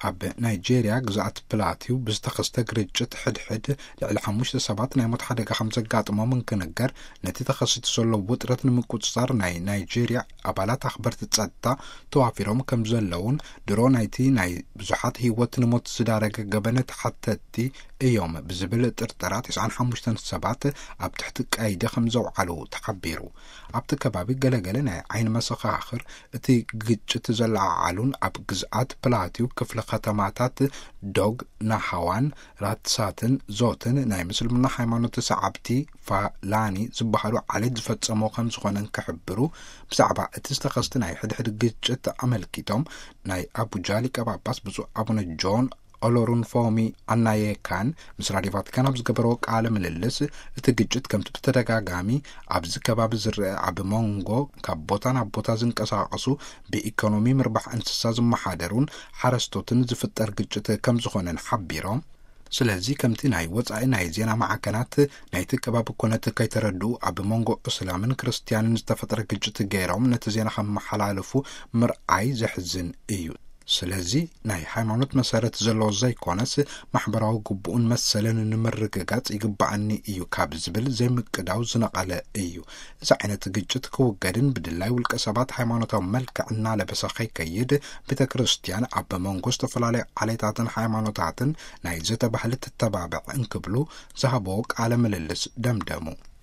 ኣብ ናይጄርያ ግዝኣት ፕላቲው ብዝተኸስተ ግርጭት ሕድሕድ ልዕሊ ሓሙሽተ ሰባት ናይ ሞት ሓደጋ ከም ዘጋጥሞም እንክንገር፣ ነቲ ተኸሲቱ ዘሎ ውጥረት ንምቁጽጻር ናይ ናይጄርያ ኣባላት ኣኽበርቲ ጸጥታ ተዋፊሮም ከም ዘለውን፣ ድሮ ናይቲ ናይ ብዙሓት ህይወት ንሞት ዝዳረገ ገበነ ተሓተትቲ እዮም ብዝብል ጥርጠራ ተስዓን ሓሙሽተን ሰባት ኣብ ትሕቲ ቀይዲ ከም ዘውዓሉ ተሓቢሩ። ኣብቲ ከባቢ ገለገለ ናይ ዓይኒ መሰኻኽር እቲ ግጭት ዘለዓዓሉን ኣብ ግዝኣት ፕላቲው ክፍለ ከተማታት ዶግ ናሃዋን ራትሳትን ዞትን ናይ ምስልምና ሃይማኖት ሰዓብቲ ፋላኒ ዝበሃሉ ዓሌት ዝፈጸሞ ከም ዝኾነ እንክሕብሩ፣ ብዛዕባ እቲ ዝተኸስተ ናይ ሕድሕድ ግጭት ኣመልኪቶም ናይ ኣቡጃ ሊቀ ጳጳስ ብፁዕ ኣቡነ ጆን ኦሎሩንፎሚ ኣናየካን ምስ ራድዮ ቫቲካን ኣብ ዝገበረዎ ቃለ ምልልስ፣ እቲ ግጭት ከምቲ ብተደጋጋሚ ኣብዚ ከባቢ ዝረአ ኣብ መንጎ ካብ ቦታ ናብ ቦታ ዝንቀሳቐሱ ብኢኮኖሚ ምርባሕ እንስሳ ዝመሓደሩን ሓረስቶትን ዝፍጠር ግጭት ከም ዝኾነን ሓቢሮም። ስለዚ ከምቲ ናይ ወጻኢ ናይ ዜና ማዕከናት ናይቲ ከባቢ ኩነት ከይተረድኡ ኣብ መንጎ እስላምን ክርስትያንን ዝተፈጥረ ግጭት ገይሮም ነቲ ዜና ከመሓላልፉ ምርኣይ ዘሕዝን እዩ። ስለዚ ናይ ሃይማኖት መሰረት ዘለዎ ዘይኮነስ፣ ማሕበራዊ ግቡኡን መሰልን ንምርግጋጽ ይግባኣኒ እዩ ካብ ዝብል ዘይምቅዳው ዝነቐለ እዩ። እዚ ዓይነት ግጭት ክውገድን ብድላይ ውልቀ ሰባት ሃይማኖታዊ መልክዕ እናለበሰ ከይከይድ፣ ቤተ ክርስቲያን ኣብ መንጎ ዝተፈላለዩ ዓሌታትን ሃይማኖታትን ናይ ዘተ ባህሊ ትተባብዕ እንክብሉ ዝሃብዎ ቃለ ምልልስ ደምደሙ።